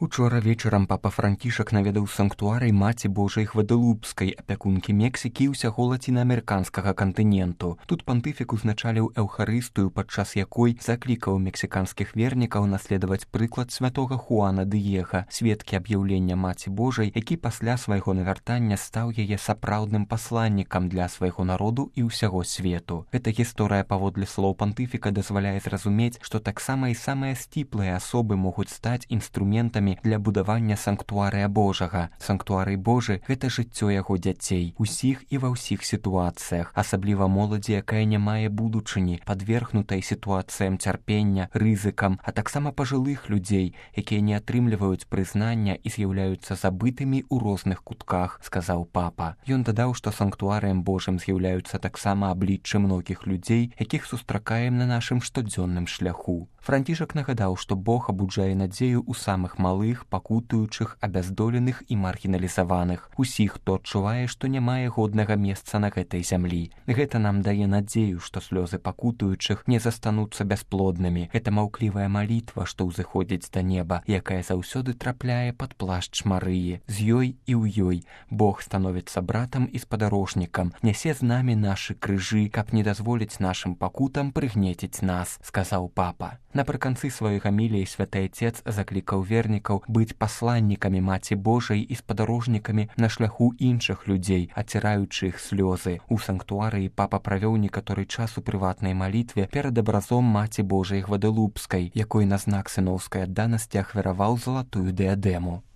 Учора вечарам папа Францішак наведаў санктуарый Маці Божай Гваделупскай, апякункі Мексікі і ўсяго лацінаамерыканскага кантыненту. Тут пантыфік узначаліў эўхарыстыю, падчас якой заклікаў мексіканскіх вернікаў наследаваць прыклад святога Хуана Дыега, сведкі аб'яўлення Маці Божай, які пасля свайго навяртання стаў яе сапраўдным пасланнікам для свайго народу і ўсяго свету. Эта гісторыя паводле слоў пантыфіка дазваляе зразумець, што таксама і самыя сціплыя асобы могуць стаць інструментамі для будавання санктуарыя Божага. Санктуарый Божы – гэта жыццё яго дзяцей, усіх і ва ўсіх сітуацыях, асабліва моладзі, якая не мае будучыні, падвергнутай сітуацыям цярпення, рызыкам, а таксама пажылых людзей, якія не атрымліваюць прызнання і з'яўляюцца забытымі ў розных кутках, сказаў папа. Ён дадаў, што санктуарыем Божым з'яўляюцца таксама абліччы многіх людзей, якіх сустракаем на нашым штодзённым шляху. Францішак нагадаў, што Бог абуджае надзею ў самых малых, пакутуючых, абяздоленых і маргіналізаваных, усіх, хто адчувае, што не мае годнага месца на гэтай зямлі. Гэта нам дае надзею, што слёзы пакутуючых не застануцца бясплоднымі. Гэта маўклівая малітва, што ўзыходзіць да неба, якая заўсёды трапляе пад плашч Марыі. З ёй і ў ёй Бог становіцца братам і спадарожнікам, нясе з намі нашы крыжы, каб не дазволіць нашым пакутам прыгнеціць нас, сказаў папа. Напрыканцы сваёй гаміліі святы Отец заклікаў вернікаў быць пасланнікамі Маці Божай і спадарожнікамі на шляху іншых людзей, ацираючы іх слёзы. У санктуарыі папа правёў некаторы час у прыватнай малітве перад абразом Маці Божай Гваделупскай, якой на знак сыноўскай адданасці ахвяраваў залатую дыадэму.